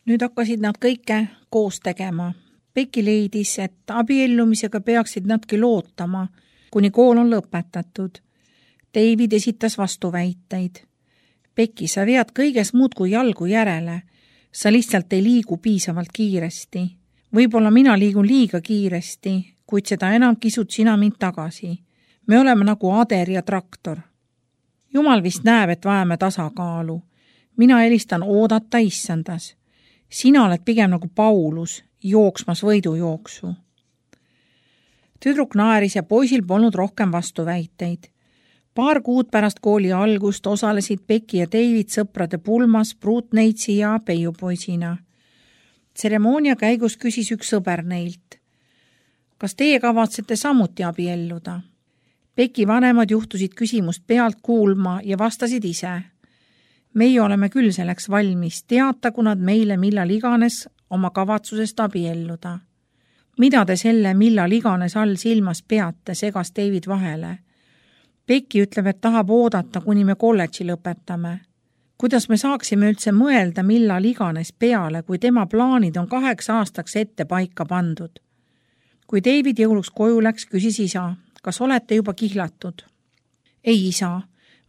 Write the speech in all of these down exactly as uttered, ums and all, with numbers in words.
Nüüd hakkasid nad kõike koos tegema. Becky leidis, et abiellumisega peaksid nadki lootama, kuni kool on lõpetatud. David esitas vastuväiteid. Becky, sa vead kõiges muud kui jalgu järele. Sa lihtsalt ei liigu piisavalt kiiresti. Võib-olla mina liigun liiga kiiresti, kuid seda enam kisud sina mind tagasi. Me oleme nagu ader ja traktor. Jumal vist näeb, et vajame tasakaalu. Mina helistan oodata issandas. Sina oled pigem nagu Paulus, jooksmas võidujooksu. Tüdruk naeris ja poisil polnud rohkem vastuväiteid. Paar kuud pärast kooli algust osalesid Becky ja David sõprade pulmas pruutneitsi ja peiupoisina. Tseremoonia käigus küsis üks sõber neilt. Kas teie kavatsete samuti abielluda? Becky vanemad juhtusid küsimust pealt kuulma ja vastasid ise. Meie oleme küll selleks valmis, teatagu nad meile millal iganes oma kavatsusest abielluda. Mida te selle millal iganes all silmas peate, segas David vahele. Becky ütleb, et tahab oodata, kuni me kolledži lõpetame. Kuidas me saaksime üldse mõelda millal iganes peale, kui tema plaanid on kaheks aastaks ette paika pandud? Kui David jõuluks koju läks, küsis isa, kas olete juba kihlatud? Ei, isa,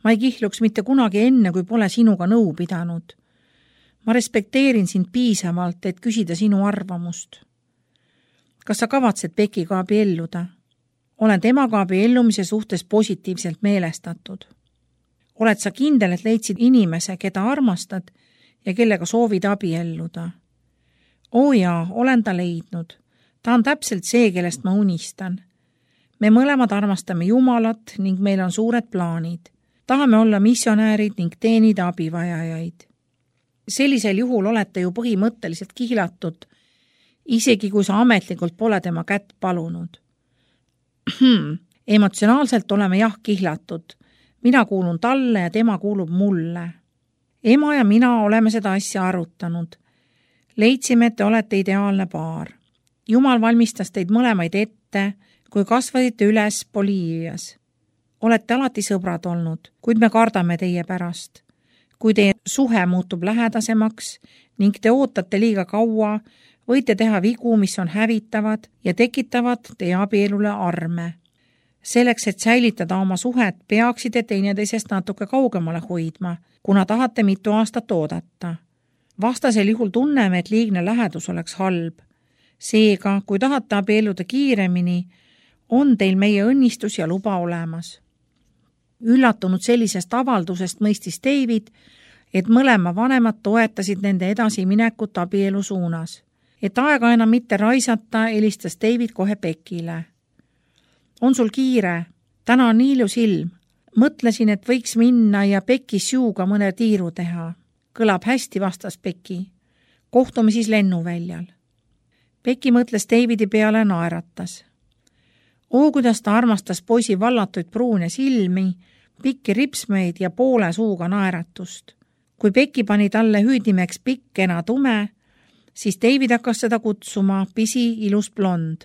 ma ei kihluks mitte kunagi enne, kui pole sinuga nõu pidanud. Ma respekteerin sind piisavalt, et küsida sinu arvamust. Kas sa kavatsed Beckyga abielluda? Olen temaga abiellumise suhtes positiivselt meelestatud. Oled sa kindel, et leidsid inimese, keda armastad ja kellega soovid abielluda? Oo jaa, olen ta leidnud. Ta on täpselt see, kellest ma unistan. Me mõlemad armastame Jumalat ning meil on suured plaanid. Tahame olla missionäärid ning teenida abivajajaid. Sellisel juhul olete ju põhimõtteliselt kihlatud, isegi kui sa ametlikult pole tema kätt palunud. Emotsionaalselt oleme jah kihlatud. Mina kuulun talle ja tema kuulub mulle. Ema ja mina oleme seda asja arutanud. Leidsime, et te olete ideaalne paar. Jumal valmistas teid mõlemaid ette, kui kasvasite üles Boliivias. Olete alati sõbrad olnud, kuid me kardame teie pärast. Kui teie suhe muutub lähedasemaks ning te ootate liiga kaua, võite teha vigu, mis on hävitavad ja tekitavad teie abielule arme. Selleks, et säilitada oma suhet, peaksite teineteisest natuke kaugemale hoidma, kuna tahate mitu aastat oodata. Vastasel juhul tunneme, et liigne lähedus oleks halb. Seega, kui tahate abielluda kiiremini, on teil meie õnnistus ja luba olemas. Üllatunud sellisest avaldusest mõistis David, et mõlema vanemad toetasid nende edasiminekut abielu suunas. Et aega enam mitte raisata, helistas David kohe Beckyle. On sul kiire? Täna on nii ilus ilm. Mõtlesin, et võiks minna ja Becky Sue'ga mõne tiiru teha. Kõlab hästi, vastas Becky. Kohtume siis lennuväljal. Becky mõtles Davidi peale ja naeratas. Oo, kuidas ta armastas poisi vallatuid pruune silmi, pikki ripsmeid ja poole suuga naeratust. Kui Becky pani talle hüüdimeks pikkena tume, siis David hakkas seda kutsuma pisi ilus blond.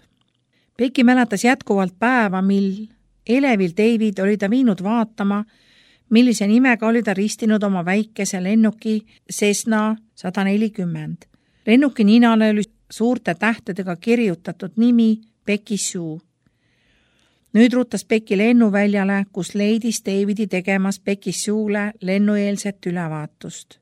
Becky mäletas jätkuvalt päeva, mil elevil David oli ta viinud vaatama, millise nimega oli ta ristinud oma väikese lennuki Cessna sada nelikümmend. Lennuki ninale oli suurte tähtedega kirjutatud nimi Becky Sue. Nüüd ruutas Becky lennuväljale, kus leidis Davidi tegemas Becky Sue'le lennueelset ülevaatust.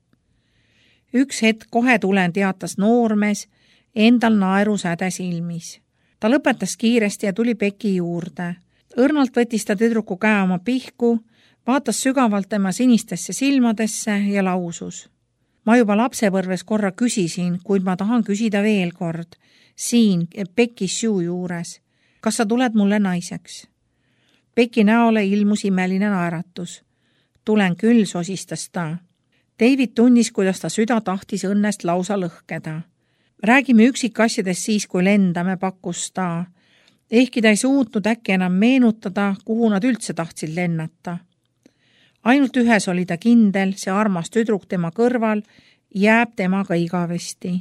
Üks hetk kohe tulen, teatas noormees, endal naeru säde silmis. Ta lõpetas kiiresti ja tuli Becky juurde. Õrnalt võttis ta tüdruku käe oma pihku, vaatas sügavalt tema sinistesse silmadesse ja lausus. Ma juba lapsepõrves korra küsisin, kuid ma tahan küsida veel kord. Siin Becky Sue juures. Kas sa tuled mulle naiseks? Becky näole ilmus imeline naeratus. Tulen küll, sosistas ta. David tunnis, kuidas ta süda tahtis õnnest lausa lõhkeda. Räägime üksikasjadest siis, kui lendame, pakkus ta. Ehkki ta ei suutnud äkki enam meenutada, kuhu nad üldse tahtsid lennata. Ainult ühes oli ta kindel, see armas tüdruk tema kõrval jääb temaga igavesti.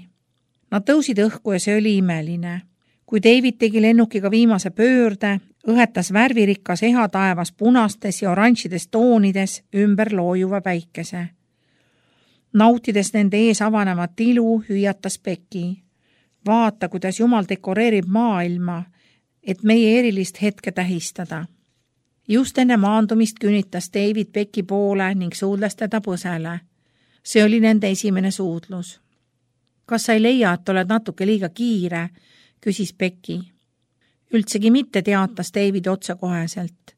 Nad tõusid õhku ja see oli imeline. Kui David tegi lennukiga viimase pöörde, õhetas värvirikas eha taevas punastes ja oranžides toonides ümber loojuva päikese. Nautides nende ees avanevat ilu, hüüatas Becky. Vaata, kuidas Jumal dekoreerib maailma, et meie erilist hetke tähistada. Just enne maandumist künnitas David Becky poole ning suudles teda põsele. See oli nende esimene suudlus. Kas sa ei leia, et oled natuke liiga kiire, küsis Becky. Üldsegi mitte, teatas David otsekoheselt.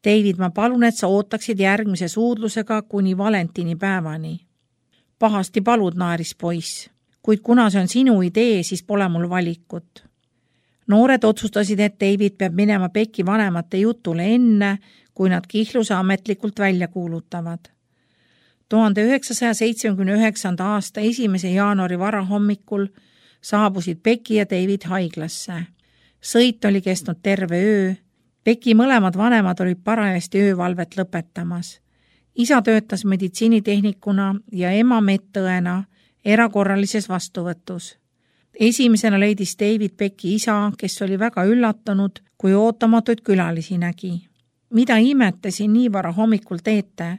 David, ma palun, et sa ootaksid järgmise suudlusega kuni Valentini päevani. Pahasti palud, naaris poiss, kuid kuna see on sinu idee, siis pole mul valikut. Noored otsustasid, et David peab minema Becky vanemate jutule enne, kui nad kihluse ametlikult välja kuulutavad. tuhande üheksasaja seitsmekümne üheksanda aasta esimese jaanuari varahommikul saabusid Becky ja David haiglasse. Sõit oli kestnud terve öö. Becky mõlemad vanemad olid parajasti öövalvet lõpetamas. Isa töötas meditsiinitehnikuna ja ema medõena erakorralises vastuvõtus. Esimesena leidis David Becky isa, kes oli väga üllatunud, kui ootamatuid külalisi nägi. Mida imete siin nii vara hommikul teete?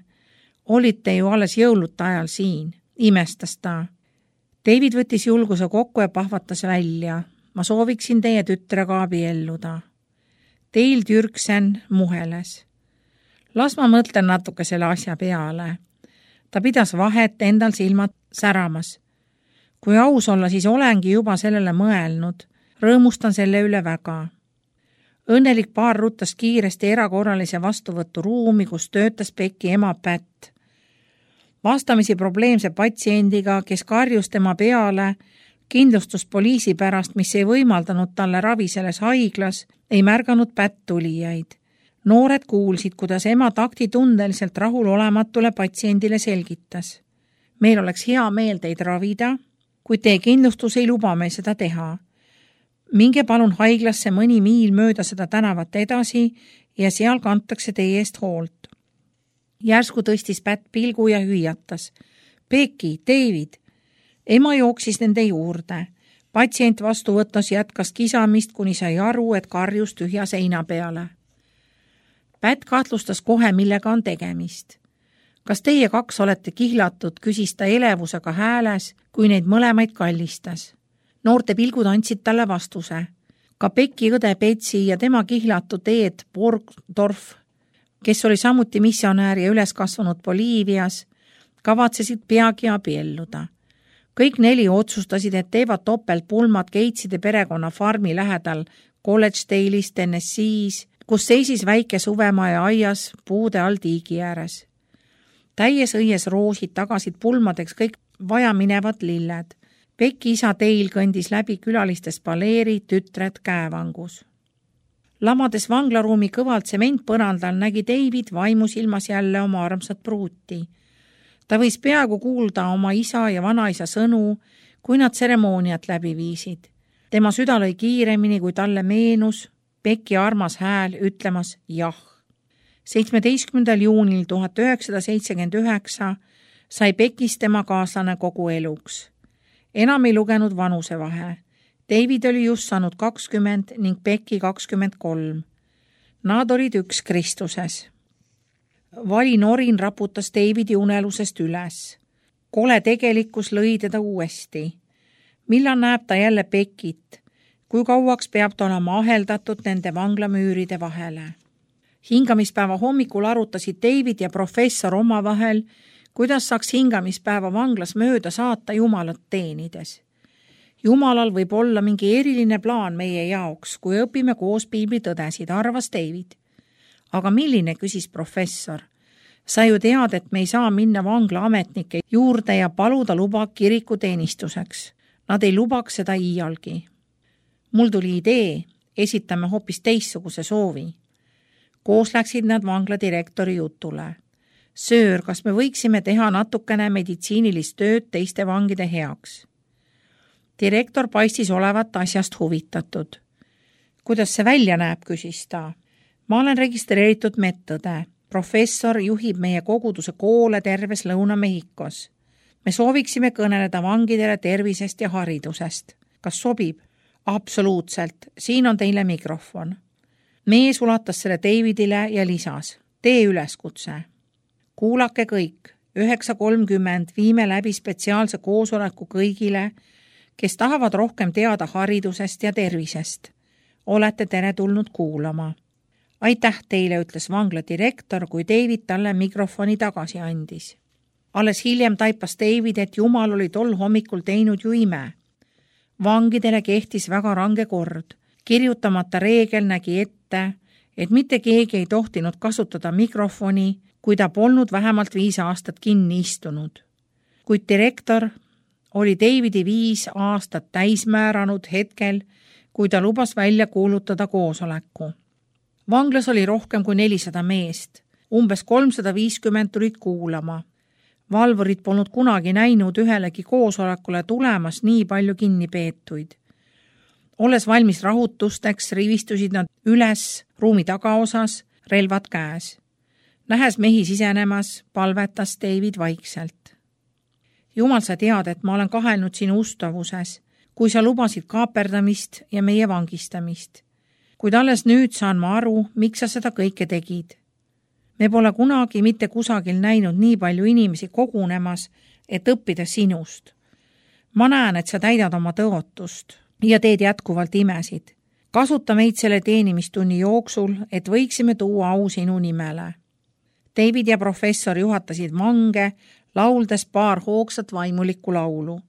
Olite ju alles jõuluta ajal siin, imestas ta. David võttis julguse kokku ja pahvatas välja. Ma sooviksin teie tütrega abielluda. Teil Türksen muheles. Las ma mõtlen natuke selle asja peale. Ta pidas vahet endal silmad säramas. Kui aus olla, siis olengi juba sellele mõelnud. Rõõmustan selle üle väga. Õnnelik paar ruttas kiiresti erakorralise vastuvõtu ruumi, kus töötas Becky ema Pat. Vastamisi probleemse patsiendiga, kes karjus tema peale, kindlustuspoliisi pärast, mis ei võimaldanud talle ravi selles haiglas, ei märganud Pat tulijaid. Noored kuulsid, kuidas ema taktitundeliselt rahulolematule patsiendile selgitas. Meil oleks hea meel teid ravida, kuid teie kindlustus ei luba meil seda teha. Minge palun haiglasse mõni miil mööda seda tänavat edasi ja seal kantakse teie eest hoolt. Järsku tõstis Pat pilgu ja hüüatas. Becky, David. Ema jooksis nende juurde. Patsient vastuvõttes jätkas kisamist, kuni sai aru, et karjus tühja seina peale. Pat kahtlustas kohe, millega on tegemist. Kas teie kaks olete kihlatud, küsis ta elevusega hääles, kui neid mõlemaid kallistas. Noorte pilgud andsid talle vastuse. Ka Becky õde Betsi ja tema kihlatud Ed Borgdorf, kes oli samuti missionäär ja üles kasvanud Boliivias, kavatsesid peagi abielluda. Kõik neli otsustasid, et teevad topeltpulmad Gateside perekonna farmi lähedal College Dale'is, Tennessee's, kus seisis väike suvemaja aias puude all tiigi ääres. Täies õies roosid tagasid pulmadeks kõik vajaminevad lilled. Becky isa Dale kõndis läbi külalistes paleeri, tütred käevangus. Lamades vanglaruumi kõvalt sementpõrandal nägi David vaimusilmas jälle oma armsat pruuti. Ta võis peaaegu kuulda oma isa ja vanaisa sõnu, kui nad tseremooniat läbi viisid. Tema süda lõi kiiremini, kui talle meenus Becky armas hääl ütlemas jah. seitsmeteistkümnendal juunil tuhat üheksasada seitsekümmend üheksa sai Beckis tema kaaslane kogu eluks. Enam ei lugenud vanusevahe. David oli just saanud kakskümmend ning Becky kakskümmend kolm. Nad olid üks Kristuses. Vali norin raputas Davidi unelusest üles. Kole tegelikkus lõi teda uuesti. Millal näeb ta jälle Beckit? Kui kauaks peab ta olema aheldatud nende vanglamüüride vahele? Hingamispäeva hommikul arutasid David ja professor omavahel, kuidas saaks hingamispäeva vanglas mööda saata Jumalat teenides. Jumalal võib olla mingi eriline plaan meie jaoks, kui õpime koos piiblitõdesid, arvas David. Aga milline, küsis professor. Sa ju tead, et me ei saa minna vangla ametnike juurde ja paluda luba kiriku teenistuseks. Nad ei lubaks seda iialgi. Mul tuli idee, esitame hoopis teistsuguse soovi. Koos läksid nad vangla direktori jutule. Söör, kas me võiksime teha natukene meditsiinilist tööd teiste vangide heaks? Direktor paistis olevat asjast huvitatud. Kuidas see välja näeb, küsis ta. Ma olen registreeritud medõde. Professor juhib meie koguduse koole terves Lõuna-Mehhikos. Me sooviksime kõneleda vangidele tervisest ja haridusest. Kas sobib? Absoluutselt. Siin on teile mikrofon. Mees ulatas selle Davidile ja lisas. Tee üleskutse. Kuulake kõik. üheksa kolmkümmend viime läbi spetsiaalse koosoleku kõigile, kes tahavad rohkem teada haridusest ja tervisest. Olete teretulnud kuulama. Aitäh teile, ütles vangla direktor, kui David talle mikrofoni tagasi andis. Alles hiljem taipas David, et Jumal oli tol hommikul teinud ju ime. Vangidele kehtis väga range kord. Kirjutamata reegel nägi ette, et mitte keegi ei tohtinud kasutada mikrofoni, kui ta polnud vähemalt viis aastat kinni istunud. Kuid direktor oli Davidi viis aastat täismääranud hetkel, kui ta lubas välja kuulutada koosoleku. Vanglas oli rohkem kui nelisada meest. Umbes kolmsada viiskümmend tulid kuulama. Valvurid polnud kunagi näinud ühelegi koosolekule tulemas nii palju kinnipeetuid. Olles valmis rahutusteks, rivistusid nad üles ruumi tagaosas, relvad käes. Nähes mehi sisenemas, palvetas David vaikselt. Jumal, sa tead, et ma olen kahelnud sinu ustavuses, kui sa lubasid kaaperdamist ja meie vangistamist. Kuid alles nüüd saan ma aru, miks sa seda kõike tegid. Me pole kunagi mitte kusagil näinud nii palju inimesi kogunemas, et õppida sinust. Ma näen, et sa täidad oma tõotust ja teed jätkuvalt imesid. Kasuta meid selle teenimistunni jooksul, et võiksime tuua au sinu nimele. David ja professor juhatasid vange, lauldes paar hoogsat vaimulikku laulu.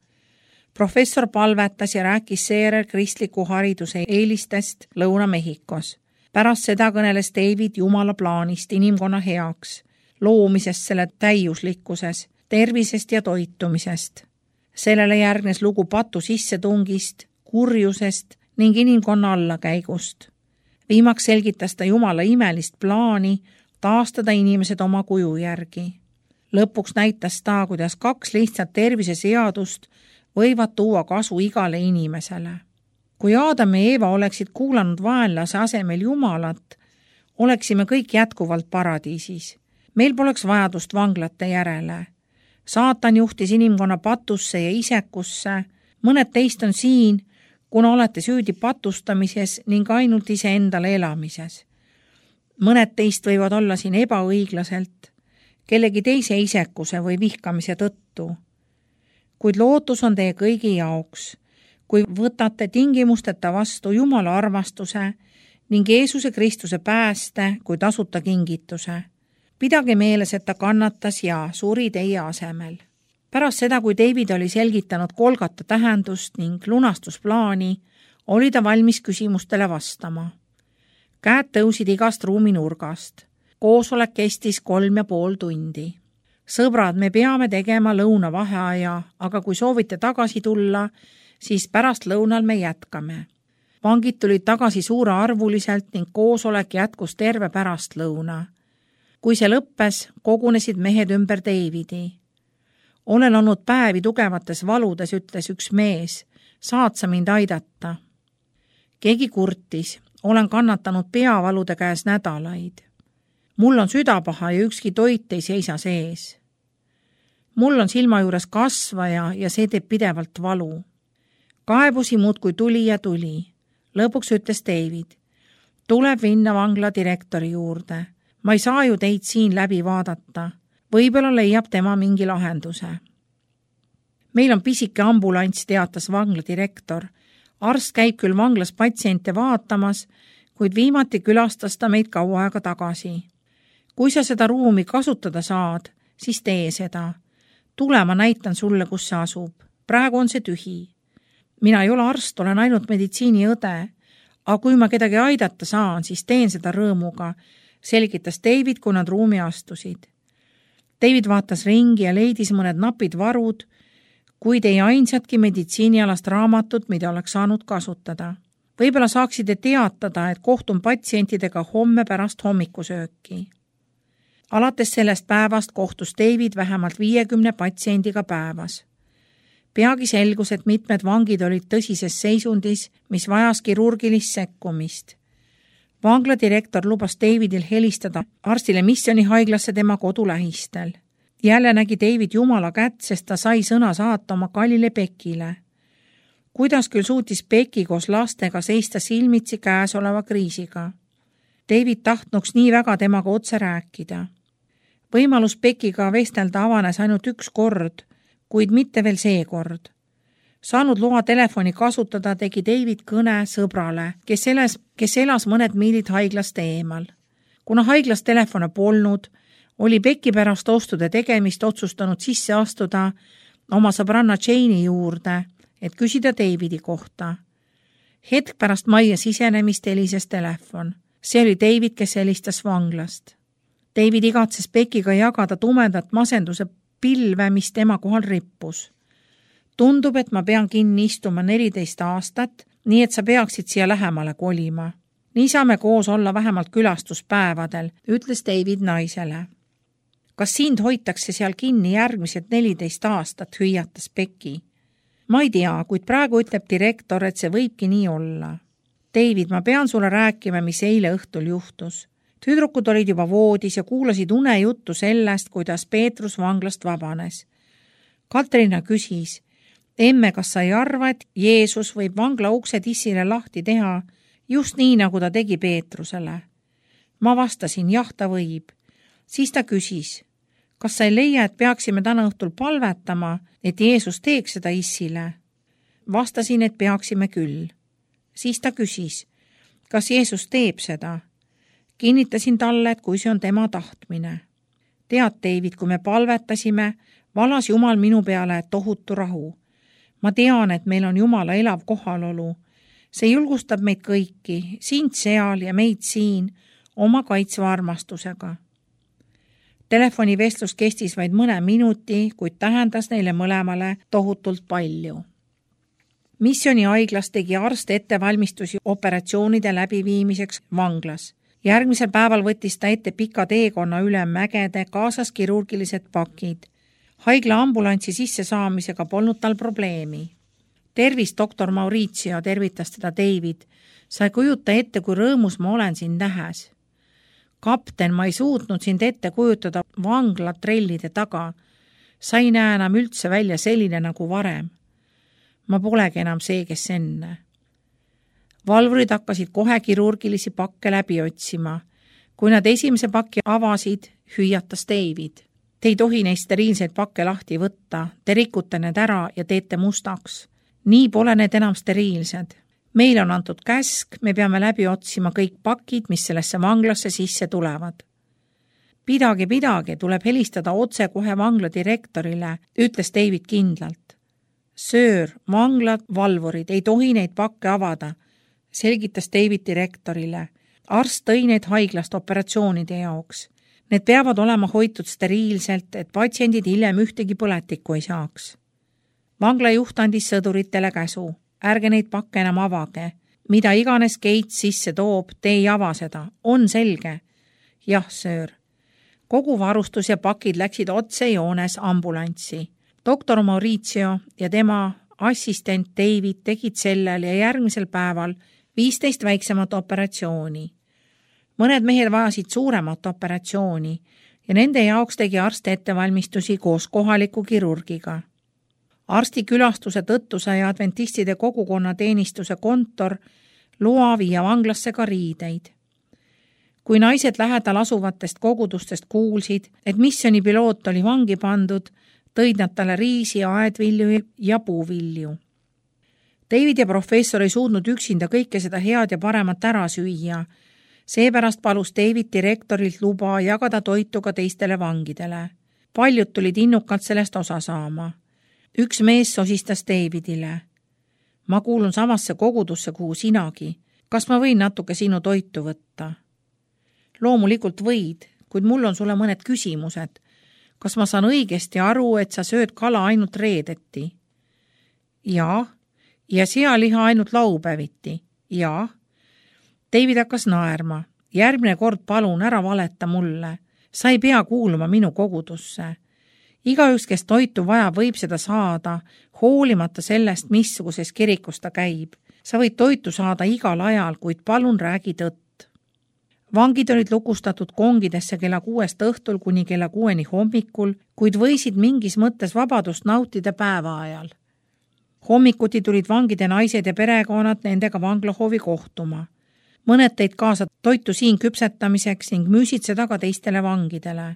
Professor palvetas ja rääkis seejärel kristliku hariduse eelistest Lõuna-Mehhikos. Pärast seda kõneles David Jumala plaanist inimkonna heaks, loomisest selle täiuslikkuses, tervisest ja toitumisest. Sellele järgnes lugu patu sissetungist, kurjusest ning inimkonna allakäigust. Viimaks selgitas ta Jumala imelist plaani taastada inimesed oma kuju järgi. Lõpuks näitas ta, kuidas kaks lihtsat terviseseadust võivad tuua kasu igale inimesele. Kui Aadam ja Eeva oleksid kuulanud vaenlase asemel Jumalat, oleksime kõik jätkuvalt paradiisis. Meil poleks vajadust vanglate järele. Saatan juhtis inimkonna patusse ja isekusse. Mõned teist on siin, kuna olete süüdi patustamises ning ainult iseendale elamises. Mõned teist võivad olla siin ebaõiglaselt, kellegi teise isekuse või vihkamise tõttu. Kuid lootus on teie kõigi jaoks, kui võtate tingimusteta vastu Jumala armastuse ning Jeesuse Kristuse pääste kui tasuta kingituse. Pidage meeles, et ta kannatas ja suri teie asemel. Pärast seda, kui David oli selgitanud Golgata tähendust ning lunastusplaani, oli ta valmis küsimustele vastama. Käed tõusid igast ruumi nurgast. Koosolek kestis kolm ja pool tundi. Sõbrad, me peame tegema lõunavaheaja, aga kui soovite tagasi tulla, siis pärast lõunal me jätkame. Vangid tulid tagasi suurearvuliselt ning koosolek jätkus terve pärast lõuna. Kui see lõppes, kogunesid mehed ümber Davidi. Olen olnud päevi tugevates valudes, ütles üks mees. Saad sa mind aidata? Keegi kurtis. Olen kannatanud peavalude käes nädalaid. Mul on südapaha ja ükski toit ei seisa sees. Mul on silma juures kasvaja ja see teeb pidevalt valu. Kaebusi muudkui tuli ja tuli. Lõpuks ütles David. Tuleb minna vangla direktori juurde. Ma ei saa ju teid siin läbi vaadata. Võib-olla leiab tema mingi lahenduse. Meil on pisike ambulants, teatas vangla direktor. Arst käib küll vanglas patsiente vaatamas, kuid viimati külastas ta meid kaua aega tagasi. Kui sa seda ruumi kasutada saad, siis tee seda. Tule, ma näitan sulle, kus see asub. Praegu on see tühi. Mina ei ole arst, olen ainult meditsiiniõde, aga kui ma kedagi aidata saan, siis teen seda rõõmuga, selgitas David, kui nad ruumi astusid. David vaatas ringi ja leidis mõned napid varud, kuid ei ainsatki meditsiinialast raamatut, mida oleks saanud kasutada. Võib-olla saaksite teatada, et kohtun patsientidega homme pärast hommikusööki. Alates sellest päevast kohtus David vähemalt viiekümne patsiendiga päevas. Peagi selgus, et mitmed vangid olid tõsises seisundis, mis vajas kirurgilist sekkumist. Vangla direktor lubas Davidil helistada arstile missioonihaiglasse tema kodulähistel. Jälle nägi David Jumala kätt, sest ta sai sõna saata oma kallile Bekile. Kuidas küll suutis Beki koos lastega seista silmitsi käesoleva kriisiga? David tahtnuks nii väga temaga otse rääkida. võimalus Beckiga vestelda avanes ainult üks kord, kuid mitte veel see kord. Saanud loa telefoni kasutada, tegi David kõne sõbrale, kes elas, kes elas mõned miilid haiglast eemal. Kuna haiglas telefone polnud, oli Becki pärast ostude tegemist otsustanud sisse astuda oma sõbranna Jane'i juurde, et küsida Davidi kohta. Hetk pärast majja sisenemist helises telefon. See oli David, kes helistas vanglast. David igatses Beckiga jagada tumedat masenduse pilve, mis tema kohal rippus. Tundub, et ma pean kinni istuma neliteist aastat, nii et sa peaksid siia lähemale kolima. Nii saame koos olla vähemalt külastuspäevadel, ütles David naisele. Kas sind hoitakse seal kinni järgmised neliteist aastat, hüüatas Becki. Ma ei tea, kuid praegu ütleb direktor, et see võibki nii olla. David, ma pean sulle rääkima, mis eile õhtul juhtus. Tüdrukud olid juba voodis ja kuulasid unejuttu sellest, kuidas Peetrus vanglast vabanes. Katrina küsis, emme, kas sa ei arva, et Jeesus võib vangla ukse tissile lahti teha, just nii, nagu ta tegi Peetrusele? Ma vastasin, jah, ta võib. Siis ta küsis, kas sa ei leia, et peaksime täna õhtul palvetama, et Jeesus teeks seda issile? Vastasin, et peaksime küll. Siis ta küsis, kas Jeesus teeb seda? Kinnitasin talle, et kui see on tema tahtmine. Tead, David, kui me palvetasime, valas Jumal minu peale tohutu rahu. Ma tean, et meil on Jumala elav kohalolu. See julgustab meid kõiki, sind seal ja meid siin, oma kaitsva armastusega. Telefonivestlus kestis vaid mõne minuti, kuid tähendas neile mõlemale tohutult palju. Missioni haiglas tegi arst ettevalmistusi operatsioonide läbiviimiseks vanglas. Järgmisel päeval võttis ta ette pika teekonna üle mägede, kaasas kirurgilised pakid. Haigla ambulantsi sisse saamisega polnud tal probleemi. Tervis, doktor Mauricio, tervitas teda David. Sa ei kujuta ette, kui rõõmus ma olen sind nähes. Kapten, ma ei suutnud sind ette kujutada vangla trellide taga. Sa ei näe enam üldse välja selline nagu varem. Ma polegi enam see, kes enne. Valvurid hakkasid kohe kirurgilisi pakke läbi otsima. Kui nad esimese paki avasid, hüüatas David. Te ei tohi neist steriilseid pakke lahti võtta, te rikute need ära ja teete mustaks. Nii pole need enam steriilsed. Meil on antud käsk, me peame läbi otsima kõik pakid, mis sellesse vanglasse sisse tulevad. Pidage, pidage, tuleb helistada otse kohe vangla direktorile, ütles David kindlalt. Söör, vanglad, valvurid, ei tohi neid pakke avada, selgitas David direktorile. Arst tõi need haiglast operatsioonide jaoks. Need peavad olema hoitud steriilselt, et patsiendid hiljem ühtegi põletikku ei saaks. Vangla juht andis sõduritele käsu. Ärge neid pakke enam avage. Mida iganes Gates sisse toob, te ei ava seda. On selge? Jah, söör. Kogu varustus ja pakid läksid otse joones ambulanssi. Doktor Mauricio ja tema assistent David tegid sellel ja järgmisel päeval viisteist väiksemat operatsiooni. Mõned mehed vajasid suuremat operatsiooni ja nende jaoks tegi arst ettevalmistusi koos kohaliku kirurgiga. Arsti külastuse tõttu sai adventistide kogukonna teenistuse kontor loa viia vanglasse ka riideid. Kui naised lähedal asuvatest kogudustest kuulsid, et missioni piloot oli vangi pandud, tõid nad talle riisi, aedvilju ja puuvilju. David ja professor ei suutnud üksinda kõike seda head ja paremat ära süüa. Seepärast palus David direktorilt luba jagada toitu ka teistele vangidele. Paljud tulid innukalt sellest osa saama. Üks mees sosistas Davidile. Ma kuulun samasse kogudusse, kuhu sinagi. Kas ma võin natuke sinu toitu võtta? Loomulikult võid, kuid mul on sulle mõned küsimused. Kas ma saan õigesti aru, et sa sööd kala ainult reedeti? Jaa. Ja sealiha ainult laupäeviti? Jaa. David hakkas naerma. Järgmine kord palun ära valeta mulle. Sa ei pea kuuluma minu kogudusse. Igaüks, kes toitu vaja, võib seda saada, hoolimata sellest, missuguses kirikus ta käib. Sa võid toitu saada igal ajal, kuid palun räägi tõtt. Vangid olid lukustatud kongidesse kella kuuest õhtul kuni kella kuueni hommikul, kuid võisid mingis mõttes vabadust nautida päeva ajal. Hommikuti tulid vangide naised ja perekonnad nendega vanglahoovi kohtuma. Mõned teid kaasa toitu siin küpsetamiseks ning müüsid seda ka teistele vangidele.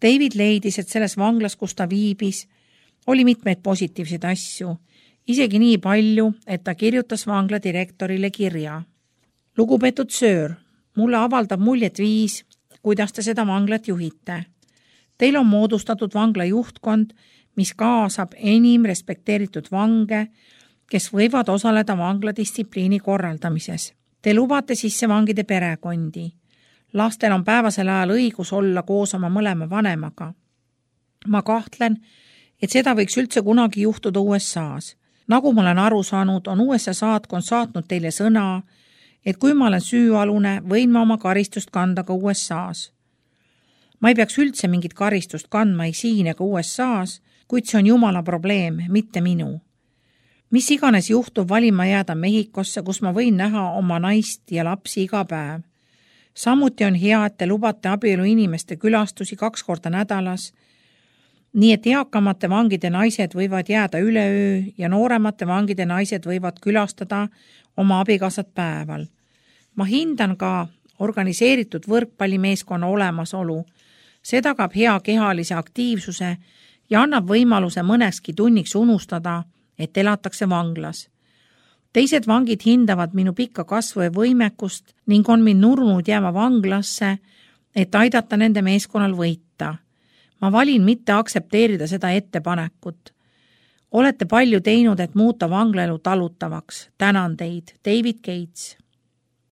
David leidis, et selles vanglas, kus ta viibis, oli mitmeid positiivseid asju, isegi nii palju, et ta kirjutas vangla direktorile kirja. Lugupeetud söör, mulle avaldab muljet viis, kuidas te seda vanglat juhite. Teil on moodustatud vangla juhtkond, mis kaasab enim respekteeritud vange, kes võivad osaleda vangla distsipliini korraldamises. Te lubate sisse vangide perekondi. Lastel on päevasel ajal õigus olla koos oma mõlema vanemaga. Ma kahtlen, et seda võiks üldse kunagi juhtuda U S A-s. Nagu ma olen aru saanud, on U S A saatkond saatnud teile sõna, et kui ma olen süüalune, võin ma oma karistust kanda ka U S A-s. Ma ei peaks üldse mingit karistust kandma ei siin ega U S A-s, kuid see on Jumala probleem, mitte minu. Mis iganes juhtub, valin ma jääda Mehhikosse, kus ma võin näha oma naist ja lapsi iga päev. Samuti on hea, et te lubate abielu inimeste külastusi kaks korda nädalas, nii et eakamate vangide naised võivad jääda üleöö ja nooremate vangide naised võivad külastada oma abikaasat päeval. Ma hindan ka organiseeritud võrkpallimeeskonna olemasolu. See tagab hea kehalise aktiivsuse ja annab võimaluse mõnekski tunniks unustada, et elatakse vanglas. Teised vangid hindavad minu pikka kasvu ja võimekust ning on mind nurnud jääma vanglasse, et aidata nende meeskonnal võita. Ma valin mitte aksepteerida seda ettepanekut. Olete palju teinud, et muuta vanglaelu talutavaks. Tänan teid, David Gates.